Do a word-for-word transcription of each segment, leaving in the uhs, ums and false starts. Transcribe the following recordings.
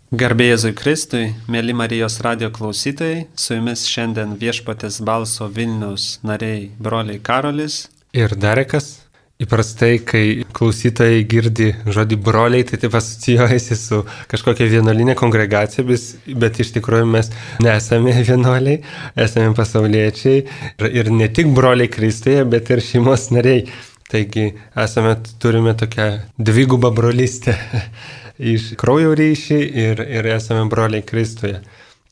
Garbė Jėzui Kristui, mėly Marijos radio klausytojai, su jumis šiandien Viešpaties balso Vilniaus nariai broliai Karolis ir Darekas. Įprastai, kai klausytojai girdi žodį broliai, tai taip asocijuojasi su kažkokia vienuolinė kongregacija, bet iš tikrųjų mes nesame vienuoliai, esame pasauliečiai ir, ir ne tik broliai Kristuje, bet ir šeimos nariai. Taigi esame, turime tokią dvigubą brolystę iš kraujo ryšį ir, ir esame broliai Kristuje.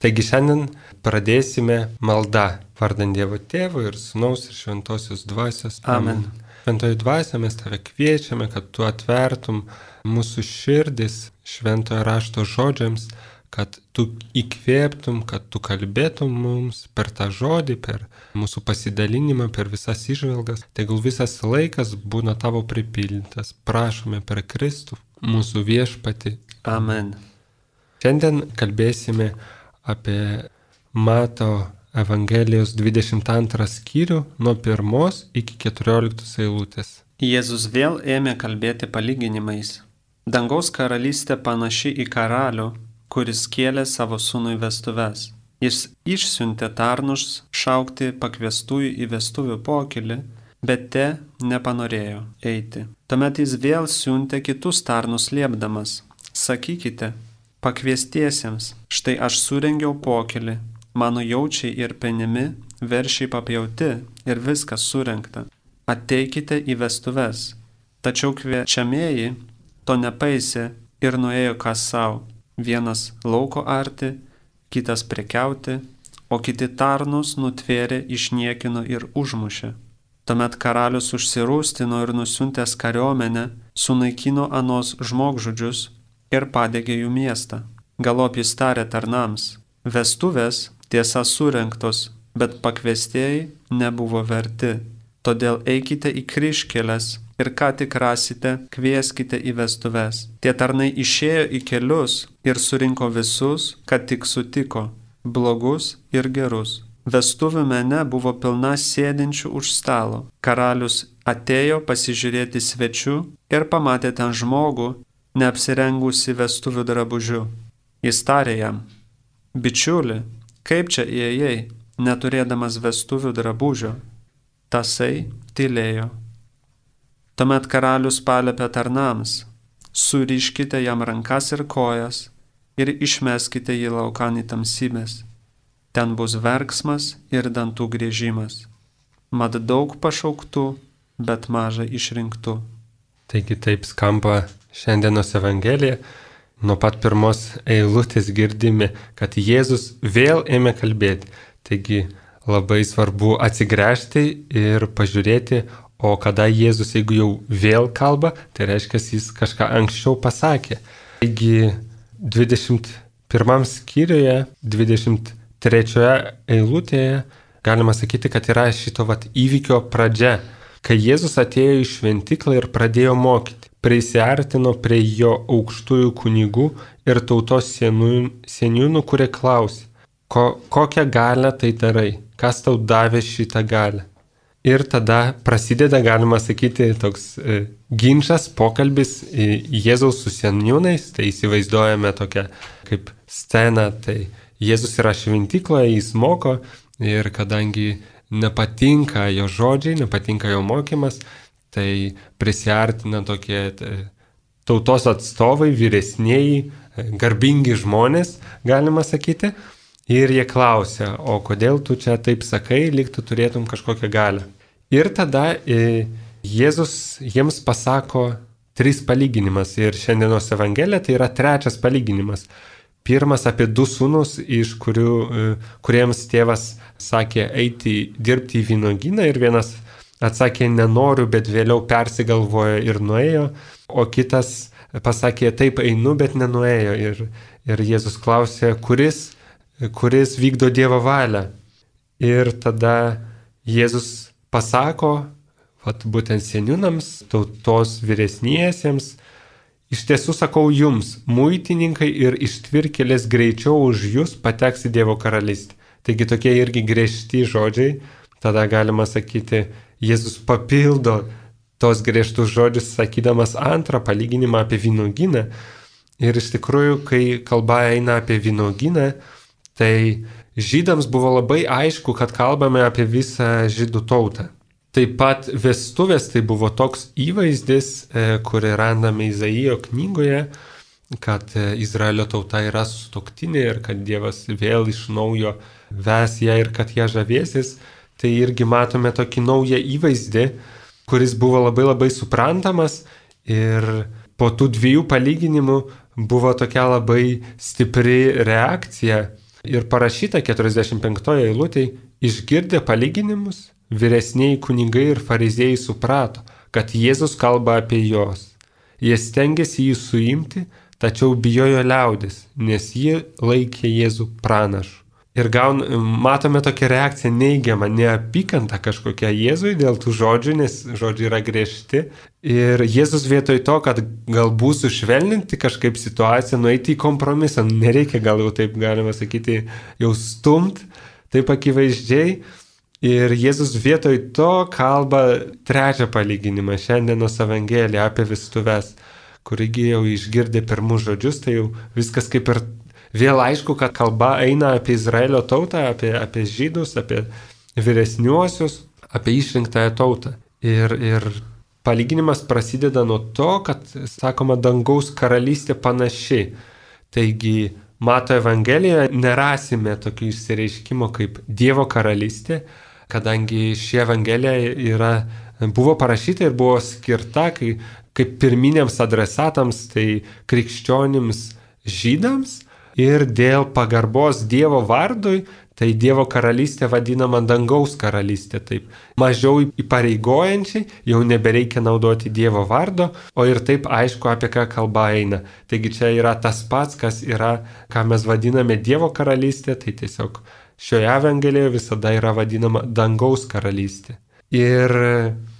Taigi šiandien pradėsime maldą vardant Dievo Tėvo ir Sūnaus ir Šventosios Dvasios. Amen. Šventoji Dvasia, mes tave kviečiame, kad tu atvertum mūsų širdis šventojo rašto žodžiams, kad tu įkvėptum, kad tu kalbėtum mums per tą žodį, per mūsų pasidalinimą, per visas įžvalgas. Tegul visas laikas būna tavo pripildytas. Prašome per Kristų, mūsų viešpatį. Amen. Šiandien kalbėsime apie Mato Evangelijos dvidešimt antrą skyrių nuo pirmos iki keturioliktos eilutės. Jėzus vėl ėmė kalbėti palyginimais. Dangaus karalystė panaši į karalių, kuris kėlė savo sūnui vestuves. Jis išsiuntė tarnus šaukti pakviestųjų į vestuvių pokylį, bet te nepanorėjo eiti. Tuomet jis vėl siuntė kitus tarnus liepdamas. Sakykite pakviestiesiems, štai aš surengiau pokylį, mano jaučiai ir penimi, veršiai papjauti ir viskas surengta. Ateikite į vestuves. Tačiau kviečiamieji to nepaisė ir nuėjo kas savo. Vienas lauko arti, kitas prekiauti, o kiti tarnus nutvėrė, išniekino ir užmušė. Tuomet karalius užsirūstino ir nusiuntęs kariuomenę, sunaikino anos žmogžudžius ir padegė jų miestą. Galop jis tarė tarnams: vestuvės tiesa surengtos, bet pakviestieji nebuvo verti. Todėl eikite į kryžkeles ir ką tik rasite, kvieskite į vestuves. Tie tarnai išėjo į kelius ir surinko visus, kad tik sutiko, blogus ir gerus. Vestuvių mene buvo pilna sėdinčių už stalo. Karalius atėjo pasižiūrėti svečių ir pamatė ten žmogų, neapsirengusi vestuvių drabužiu. Jis tarė jam: bičiuli, kaip čia įėjai, neturėdamas vestuvių drabužio? Tasai tylėjo. Tuomet karalius paliepė tarnams: suriškite jam rankas ir kojas ir išmeskite jį laukan į tamsybės. Ten bus verksmas ir dantų griežimas. Mat daug pašauktų, bet maža išrinktų. Taigi taip skamba šiandienos Evangelija. Nuo pat pirmos eilutės girdime, kad Jėzus vėl ėmė kalbėti. Taigi labai svarbu atsigręžti ir pažiūrėti, o kada Jėzus, jeigu jau vėl kalba, tai reiškia, jis kažką anksčiau pasakė. Taigi dvidešimt pirmam skyriuje, dvidešimt trečioje eilutėje galima sakyti, kad yra šito vat įvykio pradžia, kai Jėzus atėjo į šventyklą ir pradėjo mokyti. Prisiartino prie jo aukštųjų kunigų ir tautos seniūnų, kurie klausė: Ko, kokią galią tai darai, kas tau davė šitą galią. Ir tada prasideda, galima sakyti, toks e, ginčas, pokalbis e, Jėzaus su seniūnais. Tai įsivaizduojame tokią kaip sceną, tai Jėzus yra šventykloje, jis moko ir kadangi nepatinka jo žodžiai, nepatinka jo mokymas, tai prisiartina tokie tautos atstovai, vyresnieji, garbingi žmonės, galima sakyti. Ir jie klausia: o kodėl tu čia taip sakai, lyg tu turėtum kažkokią galią. Ir tada e, Jėzus jiems pasako tris palyginimas. Ir šiandienos Evangelija tai yra trečias palyginimas. Pirmas apie du sūnus, iš kurių, e, kuriems tėvas sakė eiti dirbti į vynuogyną, ir vienas atsakė nenoriu, bet vėliau persigalvojo ir nuėjo, o kitas pasakė taip einu, bet nenuėjo. Ir, ir Jėzus klausė, kuris, kuris vykdo Dievo valią. Ir tada Jėzus pasako, vat, būtent seniūnams, tautos vyresniesiems: iš tiesų sakau jums, muitininkai ir ištvirkėlės greičiau už jūs pateks į Dievo karalystę. Taigi tokie irgi griežti žodžiai. Tada galima sakyti, Jėzus papildo tos griežtus žodžius, sakydamas antrą palyginimą apie vynuogyną. Ir iš tikrųjų, kai kalba eina apie vynuogyną, tai žydams buvo labai aišku, kad kalbame apie visą žydų tautą. Taip pat vestuvės tai buvo toks įvaizdis, kurį randame Izaijo knygoje, kad Izraelio tauta yra sutuoktinė ir kad Dievas vėl iš naujo ves ją ir kad ją žavėsis. Tai irgi matome tokį naują įvaizdį, kuris buvo labai labai suprantamas ir po tų dviejų palyginimų buvo tokia labai stipri reakcija. Ir parašyta keturiasdešimt penktoje eilutėje, išgirdę palyginimus, vyresniai kunigai ir fariziejai suprato, kad Jėzus kalba apie juos. Jie stengėsi jį suimti, tačiau bijojo liaudis, nes jie laikė Jėzų pranašu. Ir gaun, matome tokią reakciją neigiamą, neapykantą kažkokią Jėzui dėl tų žodžių, nes žodžiai yra griežti. Ir Jėzus vietoj to, kad galbūt sušvelninti kažkaip situaciją, nueiti į kompromisą, nereikia gal jau taip galima sakyti, jau stumt, taip akivaizdžiai. Ir Jėzus vietoj to kalba trečią palyginimą, šiandienos Evangeliją apie vestuves, kurigi jau išgirdė pirmus žodžius, tai jau viskas kaip ir vėl aišku, kad kalba eina apie Izraelio tautą, apie, apie žydus, apie vyresniuosius, apie išrinktąją tautą. Ir, ir palyginimas prasideda nuo to, kad, sakoma, dangaus karalystė panaši. Taigi, Mato Evangelijoje nerasime tokio išsireiškimo kaip Dievo karalystė, kadangi ši Evangelija yra, buvo parašyta ir buvo skirta kai, kaip pirminiams adresatams, tai krikščionims žydams. Ir dėl pagarbos Dievo vardui, tai Dievo karalystė vadinama dangaus karalystė. Taip, mažiau įpareigojančiai, jau nebereikia naudoti Dievo vardo, o ir taip aišku, apie ką kalba eina. Taigi čia yra tas pats, kas yra, ką mes vadiname Dievo karalystė, tai tiesiog šioje Evangelijoje visada yra vadinama dangaus karalystė. Ir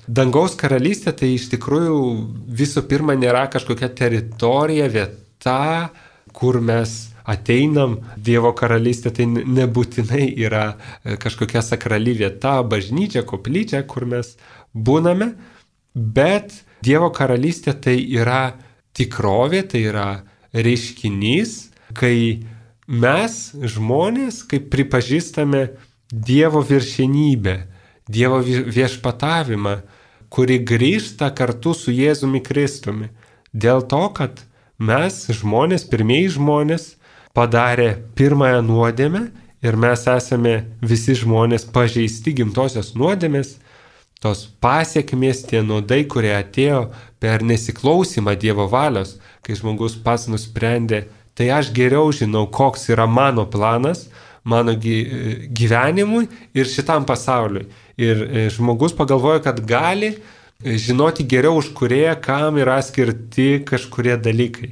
dangaus karalystė tai iš tikrųjų visų pirma nėra kažkokia teritorija, vieta, kur mes ateinam. Dievo karalystė tai nebūtinai yra kažkokia sakrali vieta, bažnyčia, koplyčia, kur mes būname, bet Dievo karalystė tai yra tikrovė, tai yra reiškinys, kai mes, žmonės, kaip pripažįstame Dievo viršenybę, Dievo viešpatavimą, kuri grįžta kartu su Jėzumi Kristumi. Dėl to, kad mes, žmonės, pirmieji žmonės, padarė pirmąją nuodėmę ir mes esame visi žmonės pažeisti gimtosios nuodėmės, tos pasiekmės, tie nuodai, kurie atėjo per nesiklausimą Dievo valios, kai žmogus pats nusprendė, tai aš geriau žinau, koks yra mano planas, mano gyvenimui ir šitam pasauliui. Ir žmogus pagalvoja, kad gali žinoti geriau už kurėją, kam yra skirti kažkurie dalykai.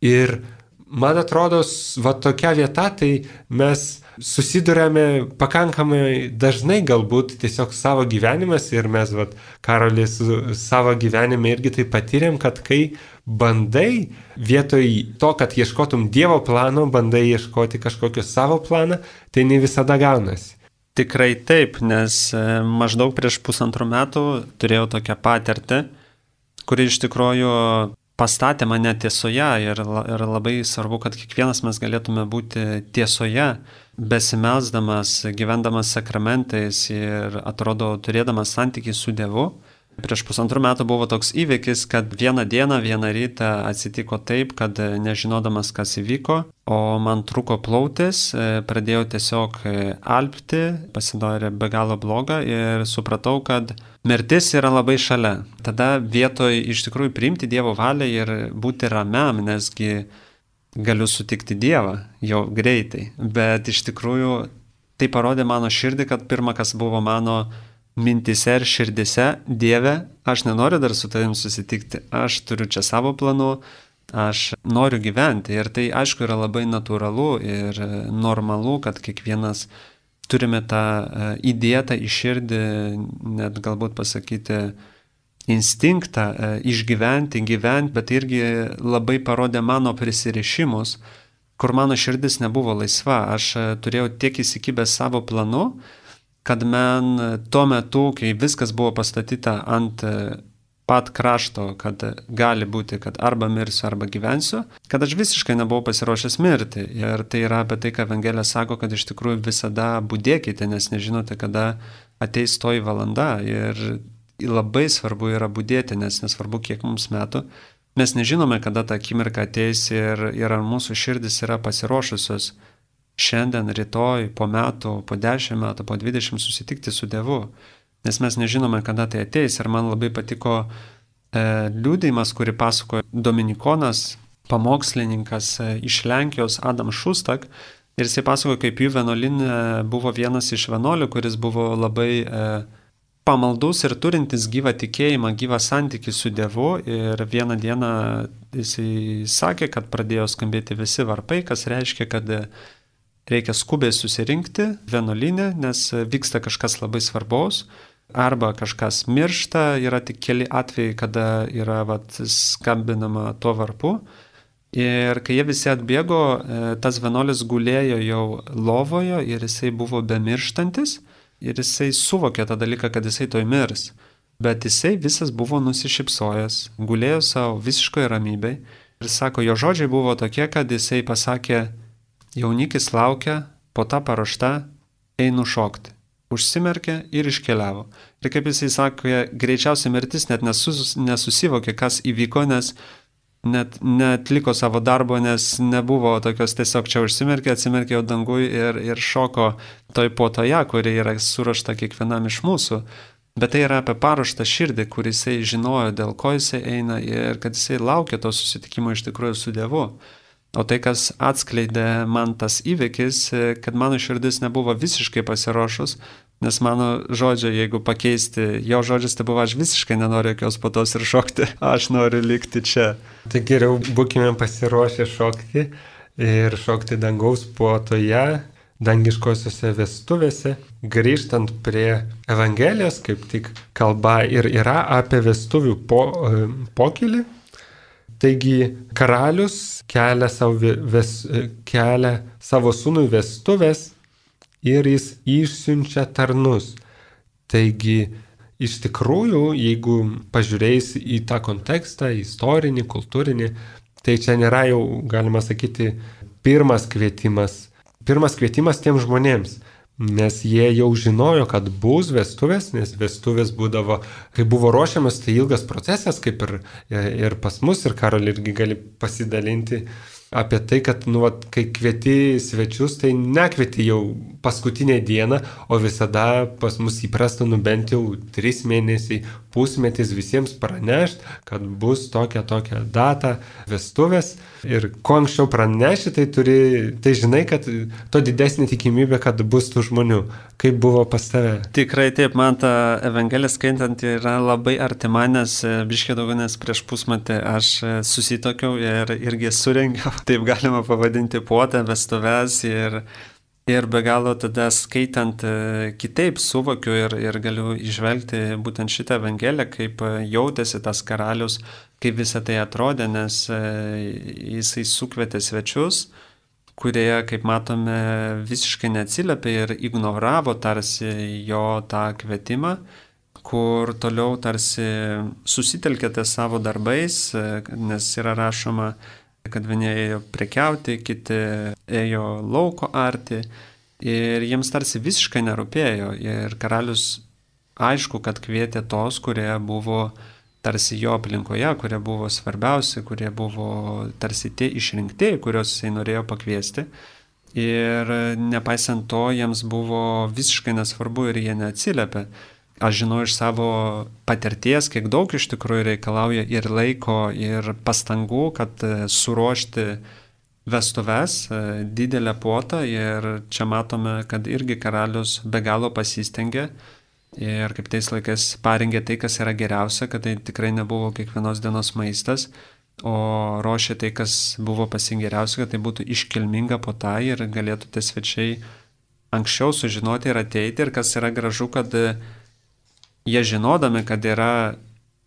Ir man atrodo, va tokia vieta, tai mes susidurėme pakankamai dažnai galbūt tiesiog savo gyvenimas ir mes, va, Karolis, savo gyvenime irgi tai patyrėm, kad kai bandai vietoj to, kad ieškotum Dievo plano, bandai ieškoti kažkokio savo planą, tai ne visada gaunasi. Tikrai taip, nes maždaug prieš pusantrų metų turėjau tokią patirtį, kuri iš tikrųjų pastatė mane tiesoje ir, ir labai svarbu, kad kiekvienas mes galėtume būti tiesoje, besimelsdamas, gyvendamas sakramentais ir atrodo turėdamas santykį su Dievu. Prieš pusantrų metų buvo toks įvykis, kad vieną dieną, vieną rytą atsitiko taip, kad nežinodamas, kas įvyko, o man trūko plautis, pradėjau tiesiog alpti, pasidarė be galo bloga ir supratau, kad mirtis yra labai šalia. Tada vietoj iš tikrųjų priimti Dievo valią ir būti ramiam, nesgi galiu sutikti Dievą jau greitai. Bet iš tikrųjų tai parodė mano širdį, kad pirma, kas buvo mano mintise ir širdise, Dieve, aš nenoriu dar su tavim susitikti, aš turiu čia savo planų, aš noriu gyventi. Ir tai aišku yra labai natūralu ir normalu, kad kiekvienas turime tą įdėtą į širdį, net galbūt pasakyti, instinktą išgyventi, gyventi, bet irgi labai parodė mano prisirišimus, kur mano širdis nebuvo laisva. Aš turėjau tiek įsikibęs savo planu, kad man tuo metu, kai viskas buvo pastatyta ant pat krašto, kad gali būti, kad arba mirsiu, arba gyvensiu, kad aš visiškai nebuvau pasiruošęs mirti. Ir tai yra apie tai, ką Evangelija sako, kad iš tikrųjų visada budėkite, nes nežinote, kada ateis toji valanda. Ir labai svarbu yra budėti, nes nesvarbu, kiek mums metų. Mes nežinome, kada ta akimirka ateis ir, ir ar mūsų širdis yra pasiruošusios šiandien, rytoj, po metų, po dešimt metų, po dvidešimt susitikti su Dievu. Nes mes nežinome, kada tai ateis. Ir man labai patiko e, liudijimas, kurį pasakojo dominikonas, pamokslininkas e, iš Lenkijos Adam Šustak. Ir jisai pasakojo, kaip jų vienuolyne buvo vienas iš vienuolių, kuris buvo labai e, pamaldus ir turintis gyvą tikėjimą, gyvą santykį su Dievu. Ir vieną dieną jisai sakė, kad pradėjo skambėti visi varpai, kas reiškia, kad reikia skubiai susirinkti vienuolyne, nes vyksta kažkas labai svarbaus. Arba kažkas miršta, yra tik keli atvejai, kada yra vat, skambinama tuo varpu. Ir kai jie visi atbėgo, tas vienuolis gulėjo jau lovoje ir jisai buvo bemirštantis ir jisai suvokė tą dalyką, kad jisai toj mirs. Bet jisai visas buvo nusišypsojęs, gulėjo savo visiškoje ramybėje ir sako, jo žodžiai buvo tokie, kad jisai pasakė, jaunikis laukia, po tą paruoštą einu šokti. Užsimerkė ir iškeliavo. Ir kaip jisai sakė, greičiausiai mirtis net nesus, nesusivokė, kas įvyko, nes net netliko savo darbo, nes nebuvo tokios tiesiog čia užsimerkė, atsimerkė jau dangui ir, ir šoko toj puotoje, kuri yra suruošta kiekvienam iš mūsų. Bet tai yra apie paruoštą širdį, kur jisai žinojo, dėl ko jisai eina ir kad jisai laukia to susitikimo iš tikrųjų su Dievu. O tai, kas atskleidė man tas įvykis, kad mano širdis nebuvo visiškai pasiruošus, nes mano žodžiai, jeigu pakeisti, jo žodžiais, tai buvo, aš visiškai nenoriu jokios puotos ir šokti, aš noriu likti čia. Tai geriau būkime pasiruošę šokti ir šokti dangaus puotoje, dangiškosiuose vestuvėse. Grįžtant prie Evangelijos, kaip tik kalba ir yra apie vestuvių po, pokylį. Taigi karalius kelia savo, ves, kelia savo sūnui vestuvės ir jis išsiunčia tarnus. Taigi iš tikrųjų, jeigu pažiūrėjus į tą kontekstą, istorinį, kultūrinį, tai čia nėra jau, galima sakyti, pirmas kvietimas. Pirmas kvietimas tiems žmonėms. Nes jie jau žinojo, kad bus vestuvės, nes vestuvės būdavo, kai buvo ruošiamas, tai ilgas procesas, kaip ir, ir pas mus, ir Karol irgi gali pasidalinti apie tai, kad nu, vat, kai kvieti svečius, tai nekvieti jau paskutinę dieną, o visada pas mus įprasta nu bent jau trys mėnesiai, pusmetis visiems pranešti, kad bus tokia tokia data vestuvės. Ir kuo anksčiau praneši, tai, turi, tai žinai, kad to didesnė tikimybė, kad bus tų žmonių. Kaip buvo pas tave? Tikrai taip, man ta Evangelija skaitant yra labai artima, nes biškiai daugiau nes prieš pusmetį aš susitokiau ir irgi surengiau, taip galima pavadinti, puotą, vestuves ir, ir be galo tada skaitant kitaip suvokiu ir, ir galiu išvelgti būtent šitą Evangeliją, kaip jautėsi tas karalius, kaip visą tai atrodė, nes jisai sukvietė svečius, kurie, kaip matome, visiškai neatsiliepė ir ignoravo tarsi jo tą kvietimą, kur toliau tarsi susitelkėte savo darbais, nes yra rašoma, kad vieni ėjo prekiauti, kiti ėjo lauko arti ir jiems tarsi visiškai nerūpėjo. Ir karalius aišku, kad kvietė tos, kurie buvo tarsi jo aplinkoje, kurie buvo svarbiausi, kurie buvo tarsi tie išrinktieji, kuriuos jisai norėjo pakviesti. Ir nepaisant to, jiems buvo visiškai nesvarbu ir jie neatsiliepė. Aš žinau iš savo patirties, kiek daug iš tikrųjų reikalauja ir laiko, ir pastangų, kad suruošti vestuves, didelę puotą. Ir čia matome, kad irgi karalius be galo pasistengė. Ir kaip tais laikais parengė tai, kas yra geriausia, kad tai tikrai nebuvo kiekvienos dienos maistas, o ruošė tai, kas buvo pasingeriausia, kad tai būtų iškilminga puota ir galėtų tie svečiai anksčiau sužinoti ir ateiti. Ir kas yra gražu, kad jie žinodami, kad yra,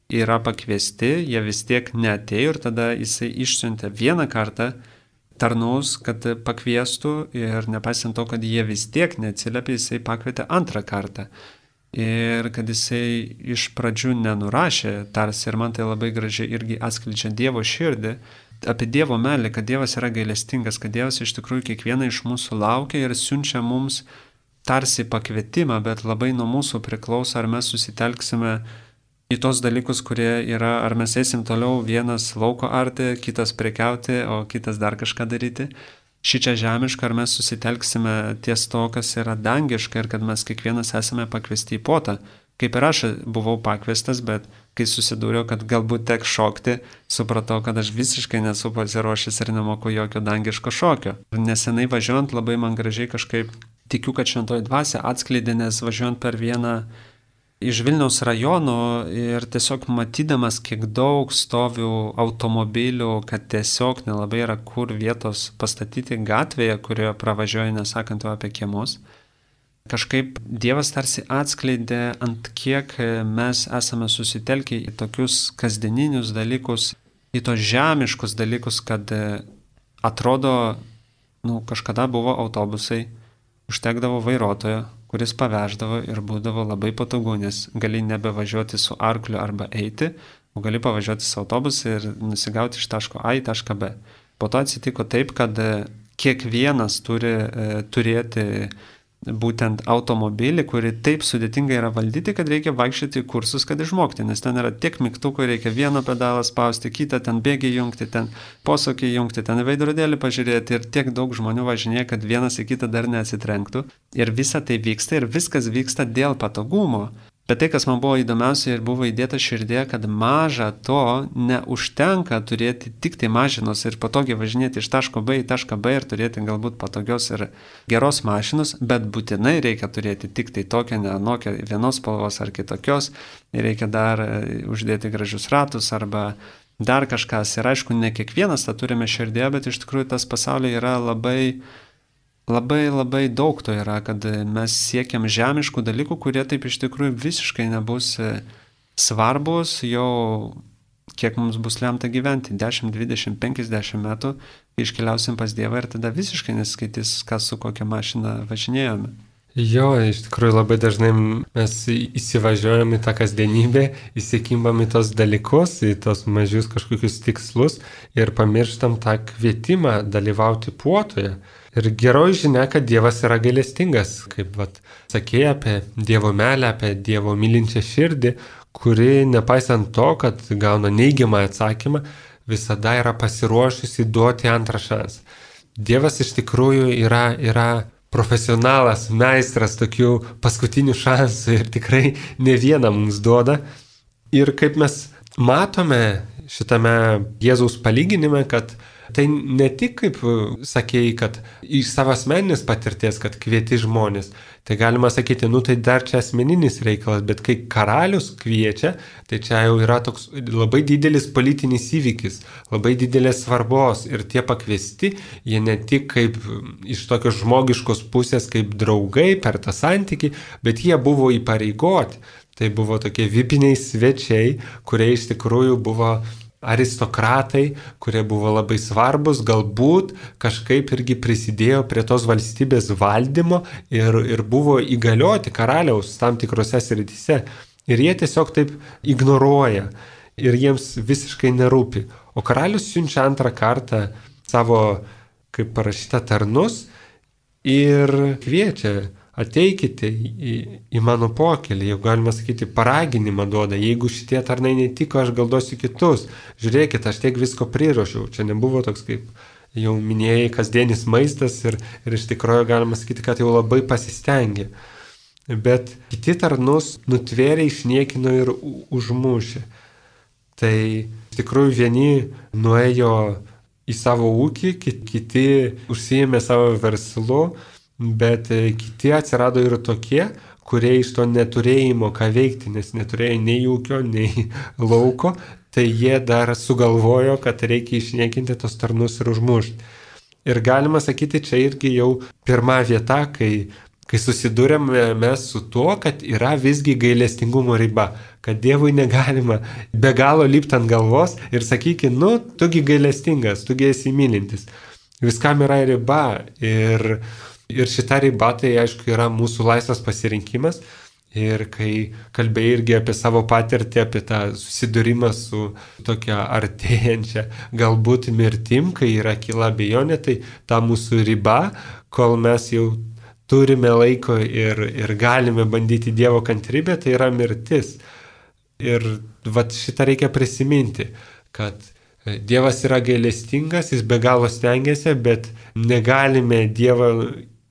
yra pakviesti, jie vis tiek neatėjo ir tada jisai išsiuntė vieną kartą tarnus, kad pakviestų ir nepaisant to, kad jie vis tiek neatsiliepė, jisai pakvietė antrą kartą. ir kad jisai iš pradžių nenurašė, tarsi, ir man tai labai gražiai irgi atskleidžia Dievo širdį, apie Dievo meilę, kad Dievas yra gailestingas, kad Dievas iš tikrųjų kiekvieną iš mūsų laukia ir siunčia mums tarsi pakvietimą, bet labai nuo mūsų priklauso, ar mes susitelksime į tos dalykus, kurie yra, ar mes eisim toliau vienas lauko arti, kitas prekiauti, o kitas dar kažką daryti. Šičia žemiška, ar mes susitelksime ties to, kas yra dangiška ir kad mes kiekvienas esame pakviesti į puotą. Kaip ir aš buvau pakviestas, bet kai susidūriau, kad galbūt tek šokti, supratau, kad aš visiškai nesu pasiruošęs ir nemoku jokio dangiško šokio. Ir nesenai važiuojant labai man gražiai kažkaip tikiu, kad šventoji dvasia atskleidė, nes važiuojant per vieną iš Vilniaus rajonų ir tiesiog matydamas, kiek daug stovių automobilių, kad tiesiog nelabai yra kur vietos pastatyti gatvėje, kurioje pravažiuoja, nesakant jau apie kiemus, kažkaip Dievas tarsi atskleidė, ant kiek mes esame susitelkę į tokius kasdieninius dalykus, į tos žemiškus dalykus, kad atrodo, nu, kažkada buvo autobusai, užtekdavo vairuotojo, kuris paveždavo ir būdavo labai patogu, nes gali nebevažiuoti su arkliu arba eiti, o gali pavažiuoti su autobusu ir nusigauti iš taško A į tašką B. Po to atsitiko taip, kad kiekvienas turi e, turėti būtent automobilį, kurį taip sudėtingai yra valdyti, kad reikia vaikščioti kursus, kad išmokti, nes ten yra tiek mygtukų, reikia vieną pedalą spausti, kitą ten bėgį jungti, ten posūkį jungti, ten veidrodėlį pažiūrėti ir tiek daug žmonių važinėja, kad vienas į kitą dar neatsitrenktų. Ir visa tai vyksta ir viskas vyksta dėl patogumo. Bet tai, kas man buvo įdomiausia ir buvo įdėta širdėje, kad maža to neužtenka turėti tik tai mašinos ir patogiai važinėti iš taško B į tašką B ir turėti galbūt patogios ir geros mašinos, bet būtinai reikia turėti tik tai tokią, ne anokią, vienos spalvos ar kitokios, ir reikia dar uždėti gražius ratus arba dar kažkas. Ir aišku, ne kiekvienas tą turime širdėje, bet iš tikrųjų tas pasaulyje yra labai... Labai labai daug to yra, kad mes siekiam žemiškų dalykų, kurie taip iš tikrųjų visiškai nebus svarbus jau kiek mums bus lemta gyventi, dešimt, dvidešimt, penkiasdešimt metų, kai iškeliausim pas Dievą ir tada visiškai neskaitys, kas su kokia mašina važinėjome. Jo, iš tikrųjų labai dažnai mes įsivažiuojam į tą kasdienybę, įsikimbam į tos dalykus, į tos mažius kažkokius tikslus ir pamirštam tą kvietimą dalyvauti puotoje. Ir geroji žinia, kad Dievas yra gailestingas, kaip vat, sakė apie Dievo meilę, apie Dievo mylinčią širdį, kuri nepaisant to, kad gauna neigiamą atsakymą, visada yra pasiruošusi duoti antrą šansą. Dievas iš tikrųjų yra, yra profesionalas, meistras tokių paskutinių šansų ir tikrai ne vieną mums duoda. Ir kaip mes matome šitame Jėzaus palyginime, kad tai ne tik kaip sakėjai, kad iš savo asmeninės patirties, kad kvieti žmonės, tai galima sakyti, nu tai dar čia asmeninis reikalas, bet kai karalius kviečia, tai čia jau yra toks labai didelis politinis įvykis, labai didelės svarbos ir tie pakviesti, jie ne tik kaip iš tokios žmogiškos pusės kaip draugai per tą santykį, bet jie buvo įpareigoti. Tai buvo tokie vipiniai svečiai, kurie iš tikrųjų buvo aristokratai, kurie buvo labai svarbus, galbūt kažkaip irgi prisidėjo prie tos valstybės valdymo ir, ir buvo įgalioti karaliaus tam tikrose srityse. Ir jie tiesiog taip ignoruoja ir jiems visiškai nerūpi. O karalius siunčia antrą kartą savo, kaip parašyta, tarnus ir kviečia: ateikite į, į mano pokelį, jau galima sakyti, paraginimą duoda, jeigu šitie tarnai netiko, aš gal duosiu kitus. Žiūrėkit, aš tiek visko priruošiau, čia nebuvo toks, kaip jau minėjai, kasdienis maistas ir, ir iš tikrųjų galima sakyti, kad jau labai pasistengė. Bet kiti tarnus nutvėrė, išniekino ir užmušė. Tai iš tikrųjų vieni nuėjo į savo ūkį, kiti užsiėmė savo verslu, bet kiti atsirado ir tokie, kurie iš to neturėjimo ką veikti, nes neturėjo nei ūkio, nei lauko, tai jie dar sugalvojo, kad reikia išniekinti tos tarnus ir užmušti. Ir galima sakyti, čia irgi jau pirma vieta, kai, kai susidūrėme mes su tuo, kad yra visgi gailestingumo riba, kad Dievui negalima be galo lipti ant galvos ir sakyti, nu, tugi gailestingas, tugi esi mylintis. Viskam yra riba ir Ir šita riba, tai aišku, yra mūsų laisvas pasirinkimas Ir kai kalbėjai irgi apie savo patirtį, apie tą susidūrimą su tokia artėjančia galbūt mirtim, kai yra kyla abejonė, tai ta mūsų riba, kol mes jau turime laiko ir, ir galime bandyti Dievo kantrybę, tai yra mirtis. Ir vat šitą reikia prisiminti, kad Dievas yra gailestingas, jis be galo stengiasi, bet negalime Dievą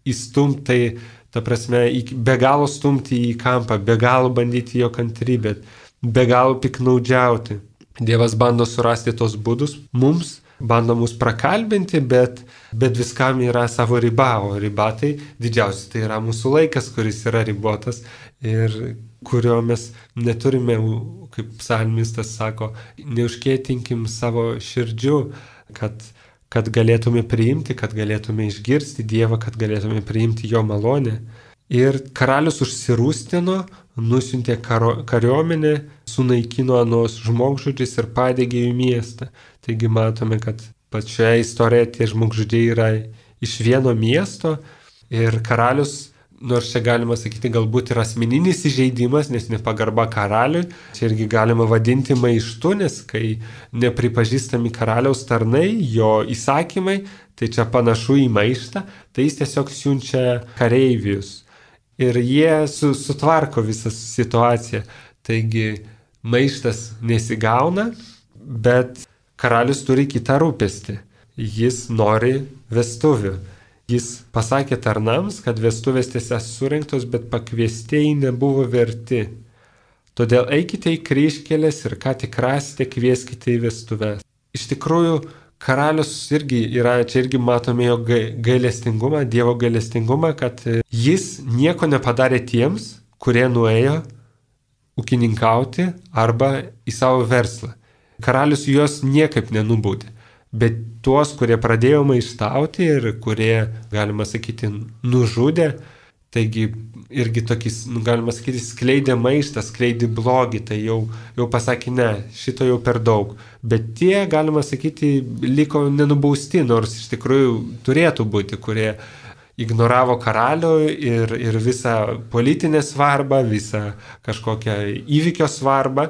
įstumti, tai ta prasme, be galo stumti į kampą, be galo bandyti jo kantrybę, be galo piknaudžiauti. Dievas bando surasti tos būdus mums, bando mus prakalbinti, bet, bet viskam yra savo riba, o riba tai didžiausia, tai yra mūsų laikas, kuris yra ribotas ir kurio mes neturime, kaip psalmistas sako, neužkėtinkim savo širdžių, kad kad galėtume priimti, kad galėtume išgirsti Dievą, kad galėtume priimti jo malonę. Ir karalius užsirūstino, nusiuntė karo, kariuomenę, sunaikino anos žmogžudžius ir padegė jų miestą. Taigi matome, kad pačioje istorijoje tie žmogžudžiai yra iš vieno miesto ir karalius, nors čia galima sakyti, galbūt ir asmeninis įžeidimas, nes nepagarba karaliui, čia irgi galima vadinti maištu, nes kai nepripažįstami karaliaus tarnai, jo įsakymai, tai čia panašu į maištą, tai jis tiesiog siunčia kareivius. Ir jie su, sutvarko visą situaciją. Taigi maištas nesigauna, bet karalius turi kitą rūpestį. Jis nori vestuvių. Jis pasakė tarnams, kad vestuvės tiesa surinktos, bet pakviestieji nebuvo verti. Todėl eikite į kryžkelės ir ką tik rasite, kvieskite į vestuves. Iš tikrųjų, karalius irgi yra, čia irgi matome jo gailestingumą, Dievo gailestingumą, kad jis nieko nepadarė tiems, kurie nuėjo ūkininkauti arba į savo verslą. Karalius juos niekaip nenubaudė. Bet tuos, kurie pradėjo maištauti ir kurie, galima sakyti, nužudė, taigi irgi tokis, galima sakyti, skleidė maištą, skleidė blogį, tai jau, jau pasakė, ne, šito jau per daug. Bet tie, galima sakyti, liko nenubausti, nors iš tikrųjų turėtų būti, kurie ignoravo karalių ir, ir visą politinę svarbą, visą kažkokią įvykio svarbą.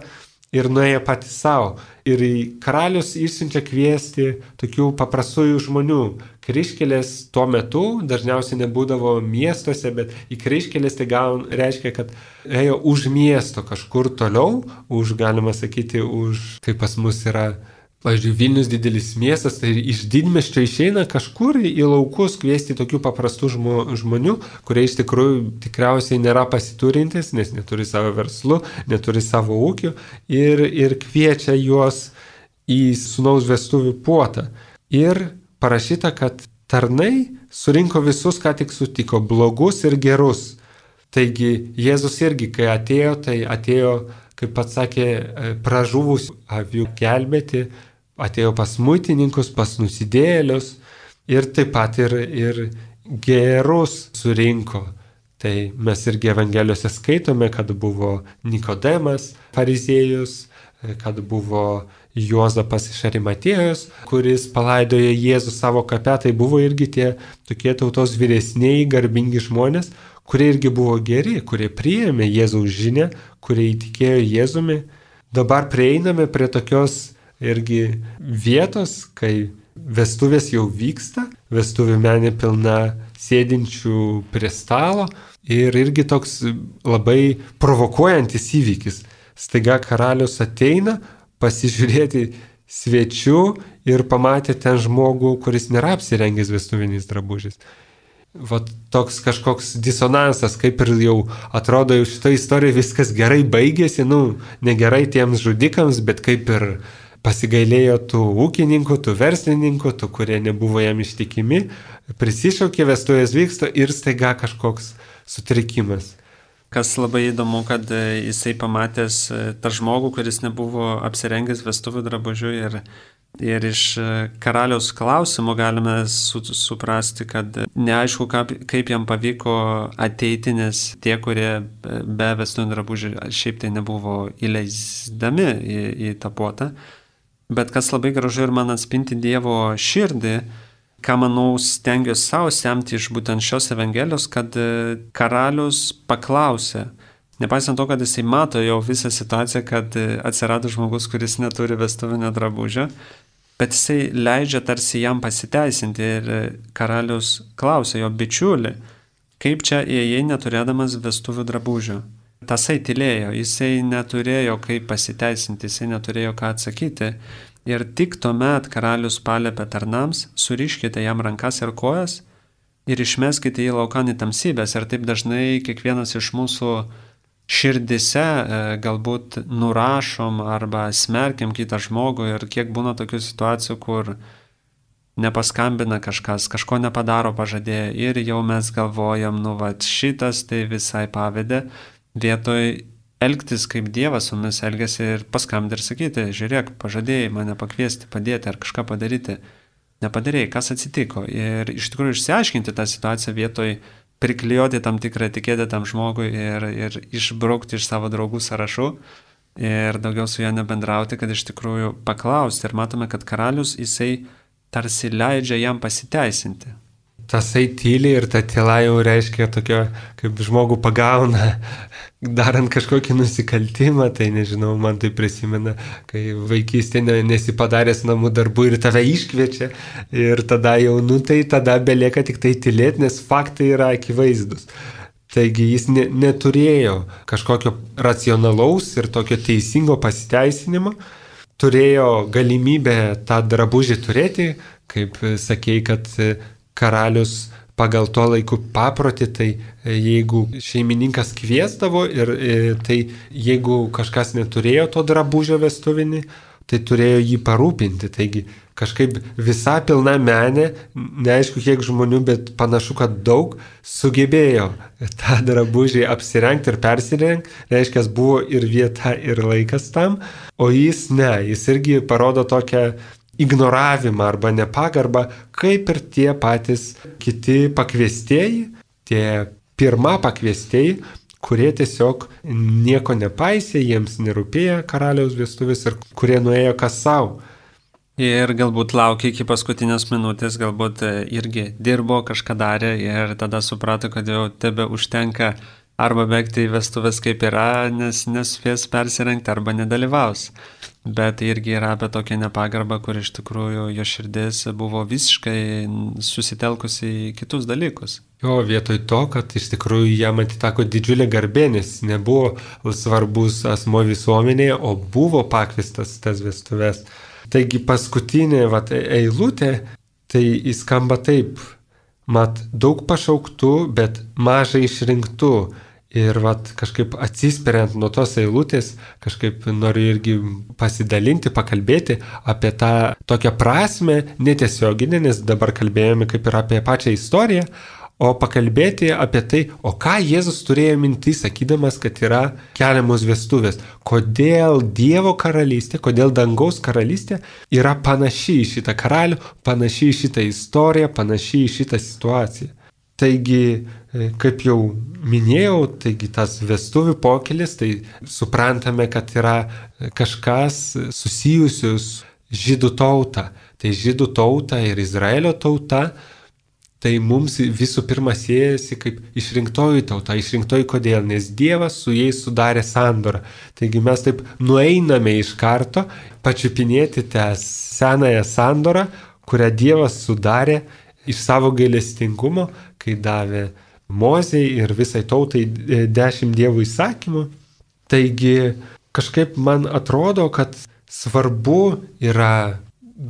Ir nuėjo patys savo. Ir karalius išsiunčia kviesti tokių paprastųjų žmonių. Kryžkelės tuo metu dažniausiai nebūdavo miestuose, bet į kryžkelės tai gal reiškia, kad ėjo už miesto kažkur toliau, už, galima sakyti, už, kaip pas mus yra, pavyzdžiui, Vilnius didelis miestas, tai iš didmiesčio išeina kažkur į laukus kviesti tokių paprastų žmo, žmonių, kurie iš tikrųjų tikriausiai nėra pasiturintis, nes neturi savo verslų, neturi savo ūkių ir, ir kviečia juos į sūnaus vestuvių puotą. Ir parašyta, kad tarnai surinko visus, ką tik sutiko, blogus ir gerus. Taigi Jėzus irgi, kai atėjo, tai atėjo, kaip pats sakė, pražuvus avių gelbėti, atėjo pas muitininkus, pas nusidėjėlius ir taip pat ir, ir gerus surinko. Tai mes irgi Evangelijose skaitome, kad buvo Nikodemas, fariziejus, kad buvo Juozapas iš Arimatėjos, kuris palaidojo Jėzų savo kape, tai buvo irgi tie tokie tautos vyresniai, garbingi žmonės, kurie irgi buvo geri, kurie priėmė Jėzaus žinią, kurie įtikėjo Jėzumi. Dabar prieiname prie tokios irgi vietos, kai vestuvės jau vyksta, vestuvių menė pilna sėdinčių prie stalo ir irgi toks labai provokuojantis įvykis. Staiga karalius ateina pasižiūrėti svečių ir pamatė ten žmogų, kuris nėra apsirengęs vestuviniais drabužiais. Vat toks kažkoks disonansas, kaip ir jau atrodo jau šitą istoriją viskas gerai baigėsi, nu, negerai tiems žudikams, bet kaip ir pasigailėjo tų ūkininkų, tų verslininkų, tų, kurie nebuvo jam ištikimi, prisišaukė, vestuvės vyksta ir staiga kažkoks sutrikimas. Kas labai įdomu, kad jisai pamatęs tą žmogų, kuris nebuvo apsirengęs vestuvių drabužių ir, ir iš karaliaus klausimų galime su, suprasti, kad neaišku, kaip, kaip jam pavyko ateiti, nes tie, kurie be vestuvių drabužių šiaip tai nebuvo įleisdami į, į tą puotą. Bet kas labai gražu ir man atspinti Dievo širdį, ką manau stengiuosi savo semti iš būtent šios Evangelijos, kad karalius paklausė, Nepaisant to, kad jisai mato jau visą situaciją, kad atsirado žmogus, kuris neturi vestuvinio drabužio, bet jisai leidžia tarsi jam pasiteisinti ir karalius klausia jo bičiulį, kaip čia įėjai neturėdamas vestuvių drabužio. Tasai tylėjo, jisai neturėjo kaip pasiteisinti, jisai neturėjo ką atsakyti. Ir tik tuomet karalius paliepė tarnams, suriškite jam rankas ir kojas ir išmeskite jį laukan į tamsybės. Ir taip dažnai kiekvienas iš mūsų širdise galbūt nurašom arba smerkiam kitą žmogų ir kiek būna tokių situacijų, kur nepaskambina kažkas, kažko nepadaro pažadėję ir jau mes galvojam, nu va šitas tai visai pavedė, vietoj elgtis kaip Dievas su mumis elgėsi ir paskambinti ir sakyti, žiūrėk, pažadėjai mane pakviesti, padėti ar kažką padaryti, nepadarėjai, kas atsitiko. Ir iš tikrųjų išsiaiškinti tą situaciją vietoj priklijuoti tam tikrą etiketę tam žmogui ir, ir išbraukti iš savo draugų sąrašų ir daugiau su juo nebendrauti, kad iš tikrųjų paklausti. Ir matome, kad karalius jisai tarsi leidžia jam pasiteisinti. Tasai tyli ir ta tyla jau reiškia tokio, kaip žmogų pagauna, darant kažkokį nusikaltimą, tai nežinau, man tai prisimena, kai vaikystėje nesi padaręs namų darbų ir tave iškviečia ir tada jau, nu tai tada belieka tik tai tylėti, nes faktai yra akivaizdus. Taigi jis ne, neturėjo kažkokio racionalaus ir tokio teisingo pasiteisinimo, turėjo galimybę tą drabužį turėti, kaip sakei, kad karalius pagal tuo laiku paprotį, tai jeigu šeimininkas kviesdavo ir tai jeigu kažkas neturėjo to drabužio vestuvinį, tai turėjo jį parūpinti. Taigi kažkaip visa pilna menė, neaišku kiek žmonių, bet panašu, kad daug sugebėjo tą drabužį apsirengti ir persirengti, reiškia, buvo ir vieta, ir laikas tam, o jis ne, jis irgi parodo tokią ignoravimą arba nepagarbą, kaip ir tie patys kiti pakviestieji, tie pirma pakviestieji, kurie tiesiog nieko nepaisė, jiems nerūpėjo karaliaus vestuvės ir kurie nuėjo kas savo. Ir galbūt laukia iki paskutinės minutės, galbūt irgi dirbo, kažką darė ir tada suprato, kad jau tebe užtenka arba bėgti į vestuvės kaip yra, nes nespės persirengti arba nedalyvaus. Bet irgi yra apie tokią nepagarbą, kur iš tikrųjų jo širdis buvo visiškai susitelkusi į kitus dalykus. Jo, vietoj to, kad iš tikrųjų jam atiteko didžiulė garbė, nes nebuvo svarbus asmo visuomenėje, o buvo pakviestas tas vestuves. Taigi paskutinė vat, eilutė, tai įskamba taip, mat daug pašauktų, bet mažai išrinktų. Ir vat, kažkaip atsispiriant nuo tos eilutės, kažkaip noriu irgi pasidalinti, pakalbėti apie tą tokią prasme, netiesioginę, nes dabar kalbėjome kaip ir apie pačią istoriją, o pakalbėti apie tai, o ką Jėzus turėjo minti, sakydamas, kad yra keliamos vestuvės. Kodėl Dievo karalystė, kodėl dangaus karalystė yra panaši į šitą karalių, panaši į šitą istoriją, panaši į šitą situaciją. Taigi, kaip jau minėjau, taigi tas vestuvių pokylis, tai suprantame, kad yra kažkas susijusius žydų tautą. Tai žydų tauta ir Izraelio tauta, tai mums visų pirma siejasi kaip išrinktoji tauta. Išrinktoji kodėl? Nes Dievas su jais sudarė sandorą. Taigi mes taip nueiname iš karto pačiupinėti tą senąją sandorą, kurią Dievas sudarė iš savo gailestingumo, kai davė Mozei ir visai tautai dešimt Dievo įsakymų. Taigi kažkaip man atrodo, kad svarbu yra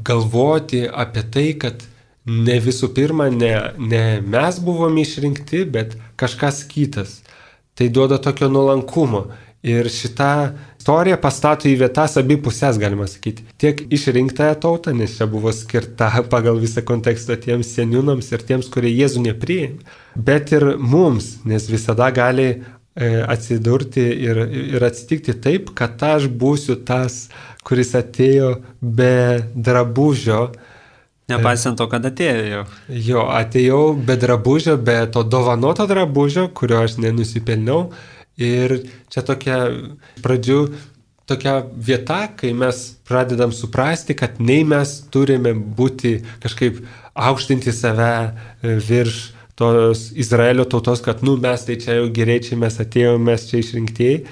galvoti apie tai, kad ne visų pirma, ne, ne mes buvome išrinkti, bet kažkas kitas. Tai duoda tokio nuolankumo. Ir šitą istoriją pastato į vietas abi pusės, galima sakyti. Tiek išrinktąją tautą, nes čia buvo skirta pagal visą kontekstą tiems seniūnams ir tiems, kurie Jėzų nepriėmė. Bet ir mums, nes visada gali e, atsidurti ir, ir atsitikti taip, kad aš būsiu tas, kuris atėjo be drabužio. Nepaisant to, kad atėjo jau. Jo, atėjau be drabužio, be to dovanoto drabužio, kurio aš nenusipelniau. Ir čia tokia pradžių tokia vieta, kai mes pradedam suprasti, kad nei mes turime būti kažkaip aukštinti save virš tos Izraelio tautos, kad, nu, mes tai čia jau geriečiai, mes atėjome, mes čia išrinktieji,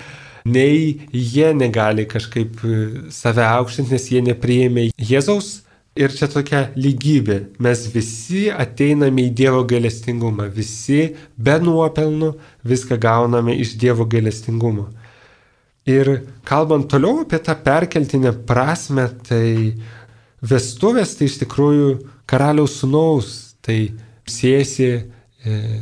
nei jie negali kažkaip save aukštinti, nes jie nepriėmė Jėzaus. Ir čia tokia lygybė. Mes visi ateiname į Dievo gailestingumą. Visi be nuopelnų viską gauname iš Dievo gailestingumo. Ir kalbant toliau apie tą perkeltinę prasme, tai vestuvės tai iš tikrųjų karaliaus sūnaus. Tai siejasi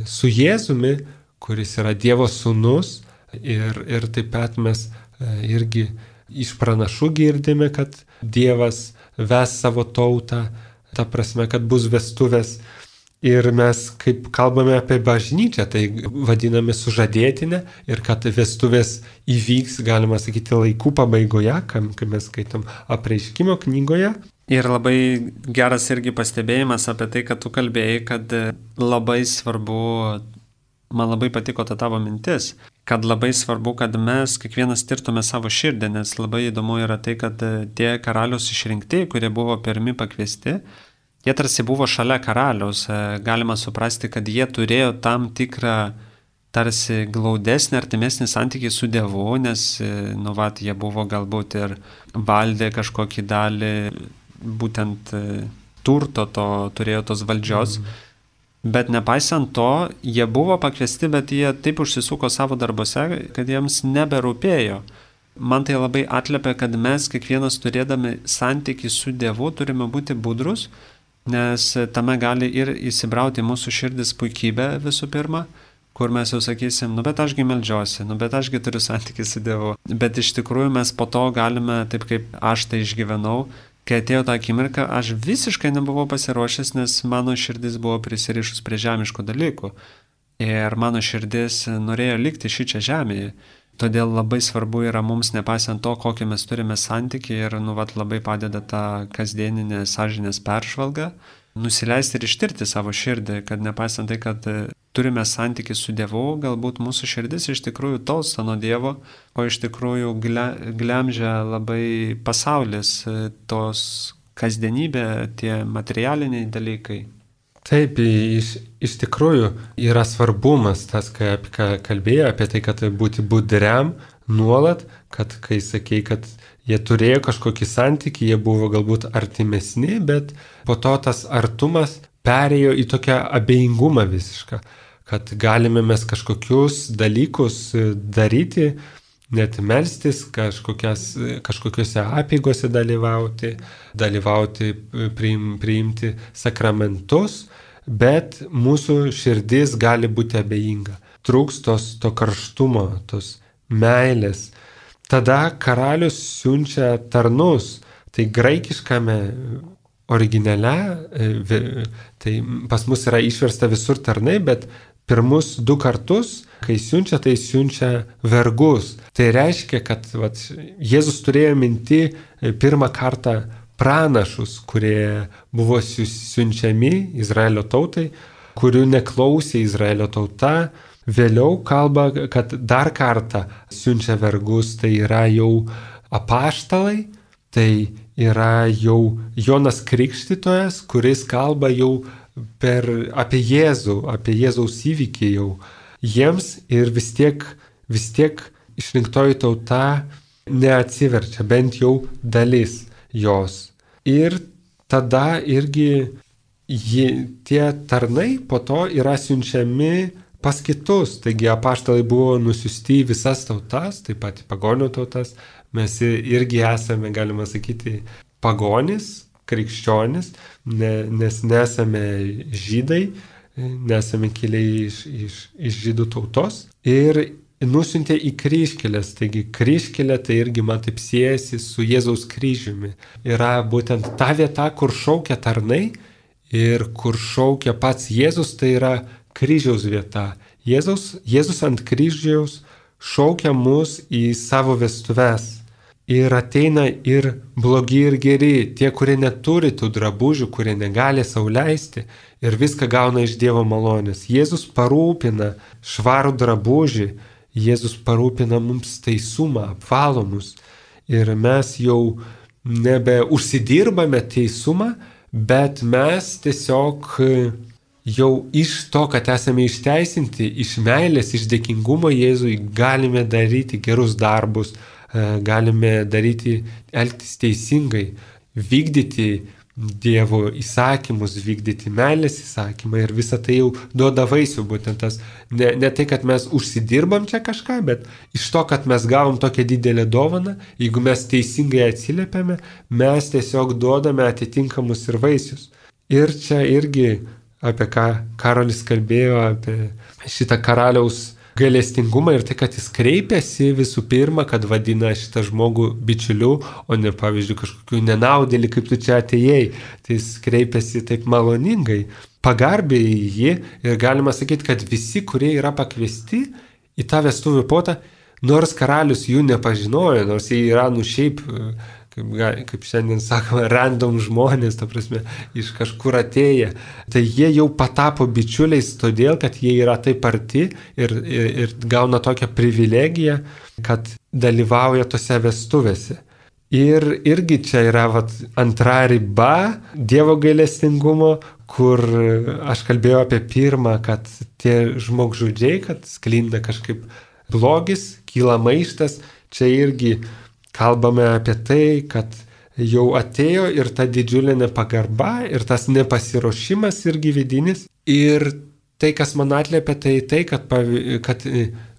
su Jėzumi, kuris yra Dievo sūnus. Ir, ir taip pat mes irgi iš pranašų girdime, kad Dievas ves savo tautą, ta prasme, kad bus vestuvės. Ir mes, kaip kalbame apie bažnyčią, tai vadiname sužadėtinę ir kad vestuvės įvyks, galima sakyti, laikų pabaigoje, kai mes skaitom Apreiškimo knygoje. Ir labai geras irgi pastebėjimas apie tai, kad tu kalbėjai, kad labai svarbu, man labai patiko ta tavo mintis, kad labai svarbu, kad mes kiekvienas tirtume savo širdį, nes labai įdomu yra tai, kad tie karalius išrinkti, kurie buvo pirmi pakviesti, jie tarsi buvo šalia karaliaus. Galima suprasti, kad jie turėjo tam tikrą tarsi glaudesnį, artimesnį santykį su Dievu, nes, nu, vat, jie buvo galbūt ir valdė kažkokį dalį, būtent turto to, turėjo tos valdžios. Mm. Bet nepaisant to, jie buvo pakviesti, bet jie taip užsisuko savo darbose, kad jiems neberūpėjo. Man tai labai atliepia, kad mes kiekvienas turėdami santykį su Dievu turime būti budrus, nes tame gali ir įsibrauti mūsų širdis puikybė visų pirma, kur mes jau sakysim, nu bet ašgi meldžiuosi, nu bet ašgi turiu santykį su Dievu. Bet iš tikrųjų mes po to galime, taip kaip aš tai išgyvenau, kai atėjo tą akimirką, aš visiškai nebuvau pasiruošęs, nes mano širdis buvo prisirišus prie žemiškų dalykų. Ir mano širdis norėjo likti šičia žemėje. Todėl labai svarbu yra mums, nepaisant to, kokį mes turime santykį, ir nu, vat, labai padeda ta kasdieninė sąžinės peržvalga, nusileisti ir ištirti savo širdį, kad nepaisant tai, kad turime santykį su Dievu, galbūt mūsų širdis iš tikrųjų tolsta nuo Dievo, o iš tikrųjų glemžia labai pasaulis, tos kasdienybė, tie materialiniai dalykai. Taip, iš, iš tikrųjų yra svarbumas tas, kai apie ką kalbėjo, apie tai, kad būti budriam nuolat, kad kai sakei, kad jie turėjo kažkokį santykį, jie buvo galbūt artimesni, bet po to tas artumas perėjo į tokią abejingumą visišką, kad galime mes kažkokius dalykus daryti, net melstis, kažkokiuose apeigose dalyvauti, dalyvauti, priim, priimti sakramentus, bet mūsų širdis gali būti abejinga. Trūks tos, to karštumo, tos meilės. Tada karalius siunčia tarnus. Tai graikiškame originale, tai pas mus yra išversta visur tarnai, bet pirmus du kartus, kai siunčia, tai siunčia vergus. Tai reiškia, kad vat, Jėzus turėjo minti pirmą kartą pranašus, kurie buvo siunčiami Izraelio tautai, kurių neklausė Izraelio tauta. Vėliau kalba, kad dar kartą siunčia vergus, tai yra jau apaštalai, tai yra jau Jonas Krikštytojas, kuris kalba jau per, apie Jėzų, apie Jėzaus įvykį jau jiems, ir vis tiek, vis tiek išrinktoji tauta neatsiverčia, bent jau dalis jos. Ir tada irgi jie, tie tarnai po to yra siunčiami pas kitus. Taigi apaštalai buvo nusiųsti į visas tautas, taip pat į pagonių tautas. Mes irgi esame, galima sakyti, pagonis, krikščionis, ne, nes nesame žydai, nesame kiliai iš, iš, iš žydų tautos. Ir nusiuntė į kryžkelės. Taigi kryžkelė tai irgi man taip siejasi su Jėzaus kryžiumi. Yra būtent ta vieta, kur šaukia tarnai ir kur šaukia pats Jėzus, tai yra kryžiaus vieta. Jėzus, Jėzus ant kryžiaus šaukia mus į savo vestuves. Ir ateina ir blogi ir geri, tie, kurie neturi tų drabužių, kurie negali sau leisti, ir viską gauna iš Dievo malonės. Jėzus parūpina švarų drabužį, Jėzus parūpina mums teisumą, apvalomus. Ir mes jau nebe užsidirbame teisumą, bet mes tiesiog jau iš to, kad esame išteisinti, iš meilės, iš dėkingumo Jėzui, galime daryti gerus darbus, galime daryti, elgtis teisingai, vykdyti Dievo įsakymus, vykdyti meilės įsakymą ir visą tai jau duoda vaisių, būtent tas, ne, ne tai, kad mes užsidirbam čia kažką, bet iš to, kad mes gavom tokią didelę dovaną, jeigu mes teisingai atsiliepiame, mes tiesiog duodame atitinkamus ir vaisius. Ir čia irgi apie ką Karolis kalbėjo, apie šitą karaliaus gailestingumą ir tai, kad jis kreipiasi visų pirma, kad vadina šitą žmogų bičiuliu, o ne, pavyzdžiui, kažkokiu nenaudėlį, kaip tu čia atėjai. Tai jis kreipiasi taip maloningai, pagarbiai į jį ir galima sakyti, kad visi, kurie yra pakviesti į tą vestuvių puotą, nors karalius jų nepažinojo, nors jie yra nu šiaip, kaip, kaip šiandien sakoma, random žmonės, ta prasme, iš kažkur atėję. Tai jie jau patapo bičiuliais todėl, kad jie yra taip arti ir, ir, ir gauna tokią privilegiją, kad dalyvauja tose vestuvėse. Ir irgi čia yra vat, antra riba Dievo gailestingumo, kur aš kalbėjau apie pirmą, kad tie žmogžudžiai, kad sklinda kažkaip blogis, kyla maištas, čia irgi kalbame apie tai, kad jau atėjo ir ta didžiulė nepagarba, ir tas nepasiruošimas irgi vidinis. Ir tai, kas man atliepia, tai tai, kad, kad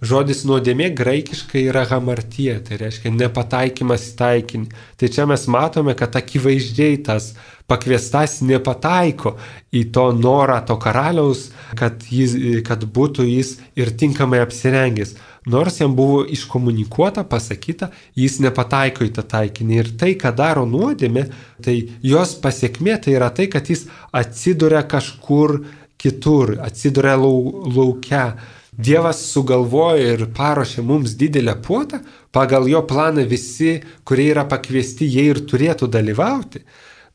žodis nuodėmė graikiškai yra hamartija, tai reiškia nepataikymas į taikinį. Tai čia mes matome, kad akivaizdžiai tas pakviestas nepataiko į to norą to karaliaus, kad, jis, kad būtų jis ir tinkamai apsirengęs. Nors jam buvo iškomunikuota, pasakyta, jis nepataiko į tą taikinį. Ir tai, ką daro nuodėmė, tai jos pasiekmė tai yra tai, kad jis atsiduria kažkur kitur, atsiduria lau, lauke. Dievas sugalvoja ir paruošė mums didelę puotą, pagal jo planą visi, kurie yra pakviesti, jie ir turėtų dalyvauti.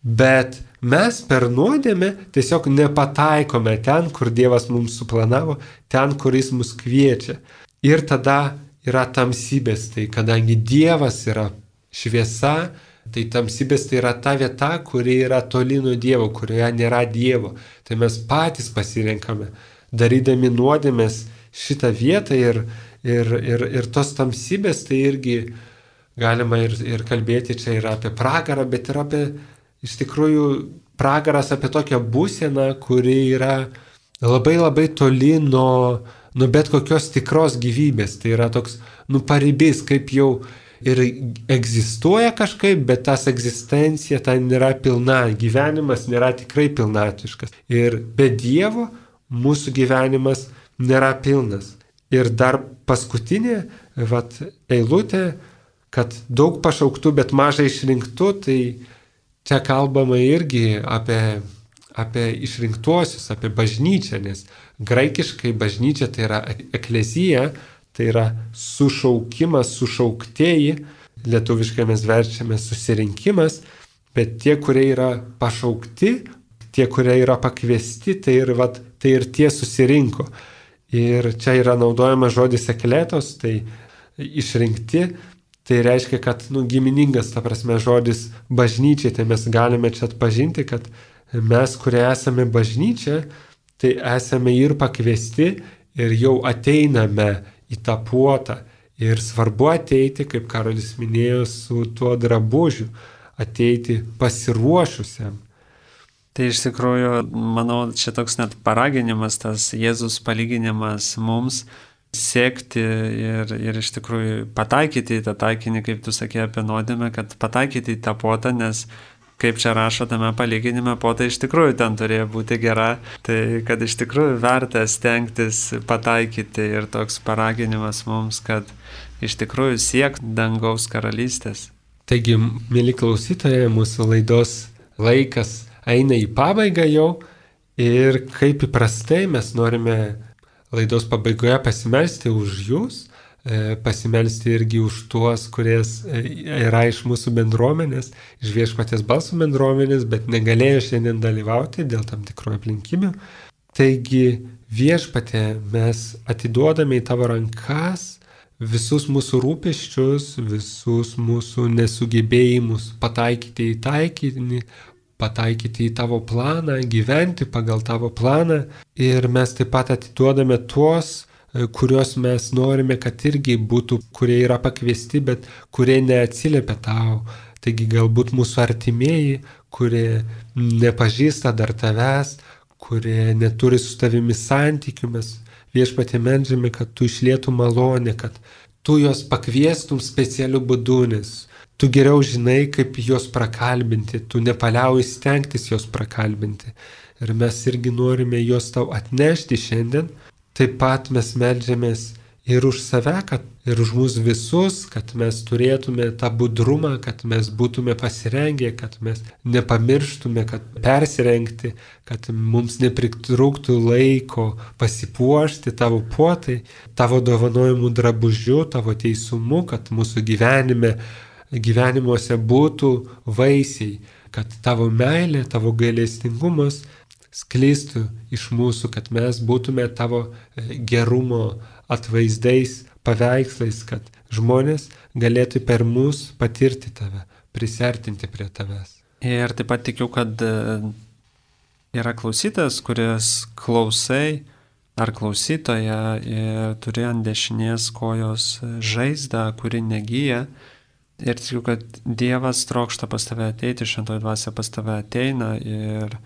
Bet mes per nuodėmę tiesiog nepataikome ten, kur Dievas mums suplanavo, ten, kur jis mus kviečia. Ir tada yra tamsybės, tai kadangi Dievas yra šviesa, tai tamsybės tai yra ta vieta, kuri yra toli nuo Dievo, kurioje nėra Dievo. Tai mes patys pasirenkame, darydami nuodėmės šitą vietą ir, ir, ir, ir tos tamsybės, tai irgi galima ir, ir kalbėti čia ir apie pragarą, bet ir apie, iš tikrųjų, pragaras apie tokią būseną, kuri yra labai labai toli nuo nu bet kokios tikros gyvybės, tai yra toks, nu paribys, kaip jau ir egzistuoja kažkaip, bet tas egzistencija tai nėra pilna, gyvenimas nėra tikrai pilnatiškas. Ir be Dievo mūsų gyvenimas nėra pilnas. Ir dar paskutinė, vat, eilutė, kad daug pašauktų, bet mažai išrinktų, tai čia kalbama irgi apie apie išrinktuosius, apie bažnyčią, nes graikiškai bažnyčia tai yra eklezija, tai yra sušaukimas, sušauktieji, lietuviškai mes verčiame susirinkimas, bet tie, kurie yra pašaukti, tie, kurie yra pakviesti, tai ir, vat, tai ir tie susirinko. Ir čia yra naudojamas žodis ekletos, tai išrinkti, tai reiškia, kad nu, giminingas, ta prasme, žodis bažnyčiai, tai mes galime čia atpažinti, kad mes, kurie esame bažnyčia, tai esame ir pakviesti ir jau ateiname į tą puotą. Ir svarbu ateiti, kaip Karolis minėjo, su tuo drabužiu, ateiti pasiruošusiam. Tai iš tikrųjų, manau, čia toks net paraginimas, tas Jėzus palyginimas mums siekti ir, ir iš tikrųjų pataikyti į tą taikinį, kaip tu sakė apie nuodėmę, kad pataikyti į tą puotą, nes kaip čia rašo tame palyginime, puota iš tikrųjų ten turėjo būti gera, tai kad iš tikrųjų verta stengtis pataikyti ir toks paraginimas mums, kad iš tikrųjų siekt dangaus karalystės. Taigi, mėly klausytojai, mūsų laidos laikas eina į pabaigą jau ir kaip įprastai mes norime laidos pabaigoje pasimelsti už jūs, pasimelsti irgi už tuos, kuries yra iš mūsų bendruomenės, iš Viešpaties balso bendruomenės, bet negalėjo šiandien dalyvauti dėl tam tikrų aplinkybių. Taigi Viešpatie mes atiduodame į tavo rankas visus mūsų rūpesčius, visus mūsų nesugebėjimus pataikyti į taikinį, pataikyti į tavo planą, gyventi pagal tavo planą. Ir mes taip pat atiduodame tuos, kuriuos mes norime, kad irgi būtų, kurie yra pakviesti, bet kurie neatsiliepia tau. Taigi galbūt mūsų artimieji, kurie nepažįsta dar tavęs, kurie neturi su tavimi santykių, mes Viešpatie meldžiame, kad tu išlietum malonę, kad tu juos pakviestum specialiu būdu, nes tu geriau žinai, kaip juos prakalbinti, tu nepaliauji stengtis juos prakalbinti. Ir mes irgi norime juos tau atnešti šiandien. Taip pat mes meldžiamės ir už save, kad ir už mus visus, kad mes turėtume tą budrumą, kad mes būtume pasirengę, kad mes nepamirštume, kad persirengti, kad mums nepritrūktų laiko pasipuošti tavo puotai, tavo dovanojimų drabužiu, tavo teisumu, kad mūsų gyvenime, gyvenimuose būtų vaisiai, kad tavo meilė, tavo gailestingumas sklistų iš mūsų, kad mes būtume tavo gerumo atvaizdais, paveikslais, kad žmonės galėtų per mus patirti tave, prisertinti prie tavęs. Ir taip pat tikiu, kad yra klausytas, kuris klausai ar klausytoja ir turi ant dešinės kojos žaizdą, kuri negyja. Ir tikiu, kad Dievas trokšta pas tave ateiti, šventoji dvasia pas tave ateina ir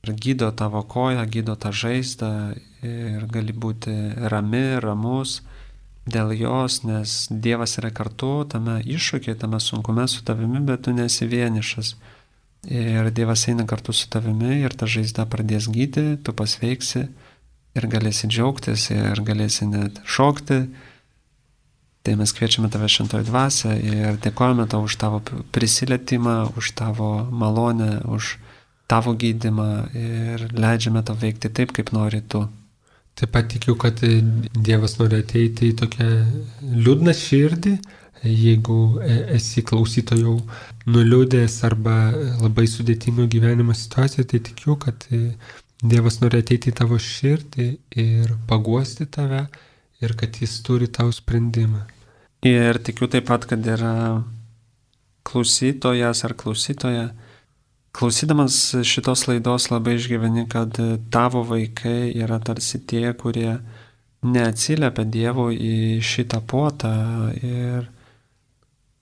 ir gydo tavo koją, gydo tą žaizdą ir gali būti rami, ramus dėl jos, nes Dievas yra kartu tame iššūkiai, tame sunkume su tavimi, bet tu nesi vienišas. Ir Dievas eina kartu su tavimi ir ta žaizda pradės gydyti, tu pasveiksi ir galėsi džiaugtis ir galėsi net šokti. Tai mes kviečiame tave šventoji dvasia ir dėkojame tau už tavo prisilietimą, už tavo malonę, už tavo gydymą ir leidžiame tau veikti taip, kaip nori tu. Taip pat tikiu, kad Dievas nori ateiti į tokią liūdną širdį, jeigu esi klausytojau nuliūdęs arba labai sudėtingo gyvenimo situacijoje, tai tikiu, kad Dievas nori ateiti į tavo širdį ir paguosti tave ir kad jis turi tau sprendimą. Ir tikiu taip pat, kad yra klausytojas ar klausytoja, klausydamas šitos laidos labai išgyveni, kad tavo vaikai yra tarsi tie, kurie neatsiliepia Dievo į šitą puotą ir,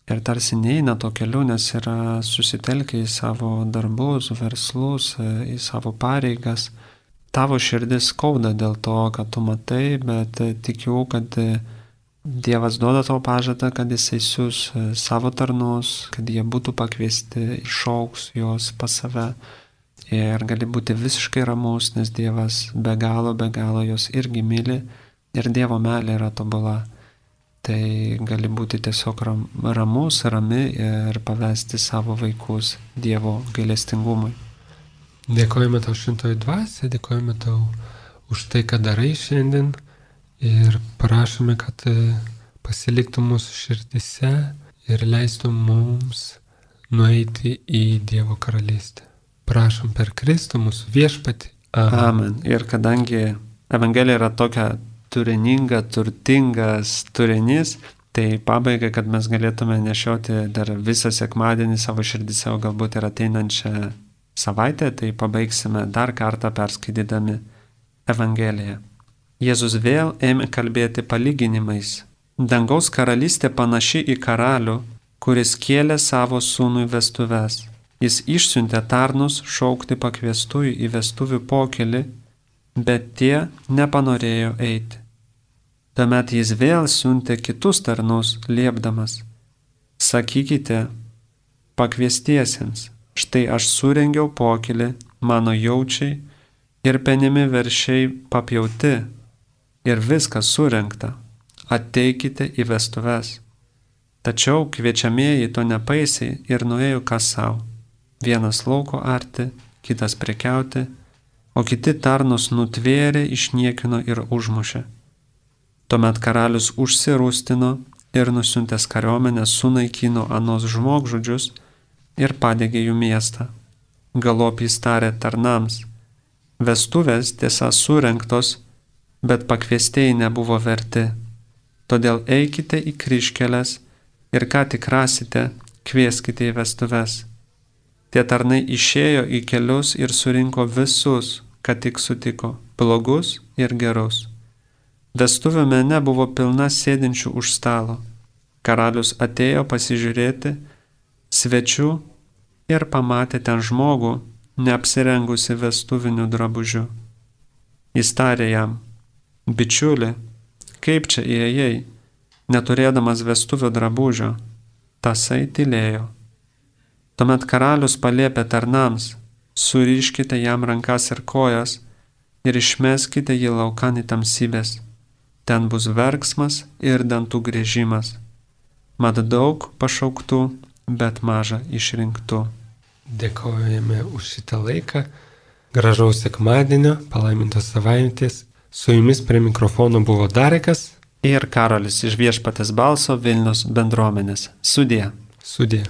ir tarsi neina to keliu, nes yra susitelkę į savo darbus, verslus, į savo pareigas. Tavo širdis skauda dėl to, kad tu matai, bet tikiu, kad Dievas duoda tau pažadą, kad jisai siūs savo tarnus, kad jie būtų pakviesti, išaugs juos pas save ir gali būti visiškai ramus, nes Dievas be galo, be galo jos irgi myli ir Dievo meilė yra tobula. Tai gali būti tiesiog ram, ramus, rami ir pavesti savo vaikus Dievo gailestingumui. Dėkojame tau šventoji dvasia, dėkojame tau už tai, ką darai šiandien. Ir prašome, kad pasiliktų mūsų širdise ir leistų mums nueiti į Dievo karalystę. Prašom per Kristų mūsų viešpatį. Amen. Amen. Ir kadangi Evangelija yra tokia turininga, turtingas turinys, tai pabaigai, kad mes galėtume nešioti dar visą sekmadienį savo širdise, o galbūt ir ateinančią savaitę, tai pabaigsime dar kartą perskaitydami Evangeliją. Jėzus vėl ėmė kalbėti palyginimais. Dangaus karalystė panaši į karalių, kuris kėlė savo sūnui vestuves. Jis išsiuntė tarnus šaukti pakviestųjų į vestuvių pokylį, bet tie nepanorėjo eiti. Tuomet jis vėl siuntė kitus tarnus, liepdamas: sakykite pakviestiesiems, štai aš surengiau pokylį, mano jaučiai ir penimi veršiai papjauti. Ir viskas surengta, ateikite į vestuves. Tačiau kviečiamieji to nepaisė ir nuėjo kas savo. Vienas lauko arti, kitas prekiauti, o kiti tarnus nutvėrė, išniekino ir užmušė. Tuomet karalius užsirūstino ir nusiuntęs kariuomenę sunaikino anos žmogžudžius ir padegė jų miestą. Galop jis tarė tarnams: vestuvės tiesa surengtos, bet pakviestieji nebuvo verti. Todėl eikite į kryžkeles ir ką tik rasite, kvieskite į vestuves. Tie tarnai išėjo į kelius ir surinko visus, kad tik sutiko, blogus ir gerus. Vestuvių mene buvo pilna sėdinčių už stalo. Karalius atėjo pasižiūrėti svečių ir pamatė ten žmogų, neapsirengusi vestuviniu drabužiu. Jis tarė jam: bičiuli, kaip čia įėjai, neturėdamas vestuvių drabužio? Tasai tylėjo. Tuomet karalius paliepė tarnams: suriškite jam rankas ir kojas ir išmeskite jį laukan į tamsybės. Ten bus verksmas ir dantų griežimas. Mat daug pašauktų, bet maža išrinktų. Dėkojame už šitą laiką. Gražaus sekmadienio, palaimintos savaitės. Su jumis prie mikrofono buvo Darekas ir Karolis iš Viešpaties balso Vilniaus bendruomenės. Sudie. Sudie.